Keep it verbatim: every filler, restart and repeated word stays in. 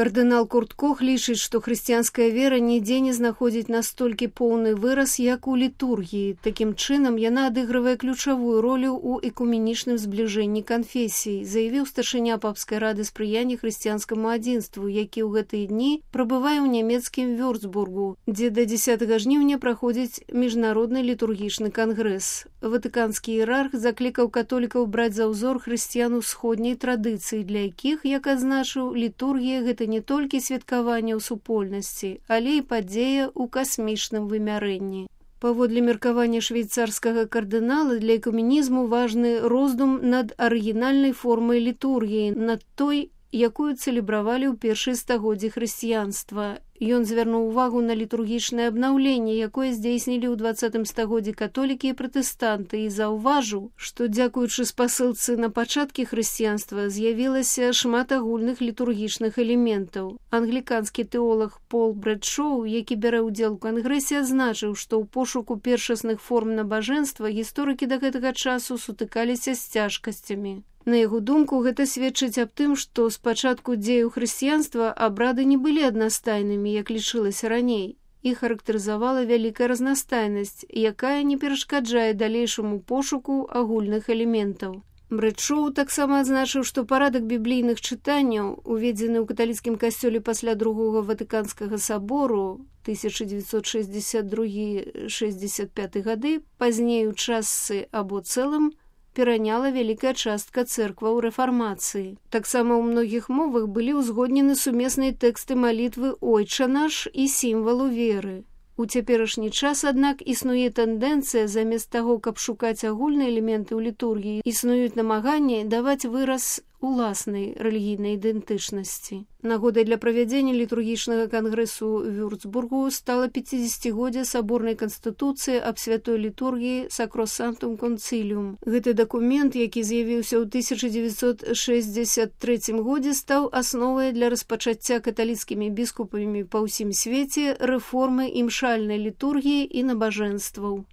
Кардынал Курт Кох лічыць, што хрысціянская вера нідзе не знаходзіць настолькі поўны выраз, як у літургіі. Такім чынам, яна адыгрывае ключавую ролю ў экуменічным збліжэнні канфесій, заявіў старшыня папскай рады спрыяння хрысціянскаму адзінству, які ў гэтыя дні прабывае ў нямецкім Вюрцбургу, дзе да дзесятага жніўня праходзіць міжнародны літургічны кангрэс. Ватыканскі іерарх заклікаў католікаў браць за ўзор хрысціян усходняй традыцыі, для якіх, як адзначыў, літургія гэта не толькі святкаванне ў супольнасці, але і падзея ў касмічным вымярэнні. Паводле меркавання швейцарскага кардынала, для экуменізму важны роздум над арыгінальнай формай літургіі, над той, якую цэлебравалі ў першыя стагоддзі хрысціянства. Ён звярнуў увагу на літургічнае абнаўленне, якое здзейснілі ў дваццатым стагоддзі католікі і пратэстанты, і заўважыў, што, дзякуючы спасылцы на пачаткі хрысціянства, з'явілася шмат агульных літургічных элементаў. Англіканскі тэолог Пол Брэдшоу, які бярэ ўдзел у кангрэсе, адзначыў, што ў пошуку першасных форм набажэнства гісторыкі да гэтага часу сутыкаліся з цяжкасцямі. На яго думку, гэта сведчыць аб тым, што спачатку дзеяў хрысціянства абрады не былі аднастайнымі, як лічылася раней. Іх характарызавала вялікая разнастайнасць, якая не перашкаджае далейшаму пошуку агульных элементаў. Брэдшоу таксама адзначыў, што парадак біблійных чытанняў, уведзены ў каталіцкім касцёле пасля другога Ватыканскага сабору тысяча дзевяцьсот шэсцьдзесят другі — шэсцьдзесят пяты гады, пазней у частцы або цэлым, пераняла вялікая частка цэркваў рэфармацыі. Таксама ў многіх мовах былі ўзгоднены сумесныя тэксты малітвы «Ойча наш» і сімвалу веры. У цяперашні час, аднак, існуе тэндэнцыя, замест таго, каб шукаць агульныя элементы ў літургіі, існуюць намаганні даваць выраз уласнай рэлігійнай ідэнтычнасці. Нагодай для правядзення літургічнага кангрэсу Вюрцбургу стала пяцідзесяцігоддзе саборнай канстытуцыі аб святой літургіі «Сакросанктум концилиум». Гэты дакумент, які з'явіўся ў тысяча дзевяцьсот шэсцьдзесят трэцім годзе, стаў асновай для распачацця каталіцкімі біскупамі па ўсім свеце рэформы імшальнай літургіі і набажэнстваў.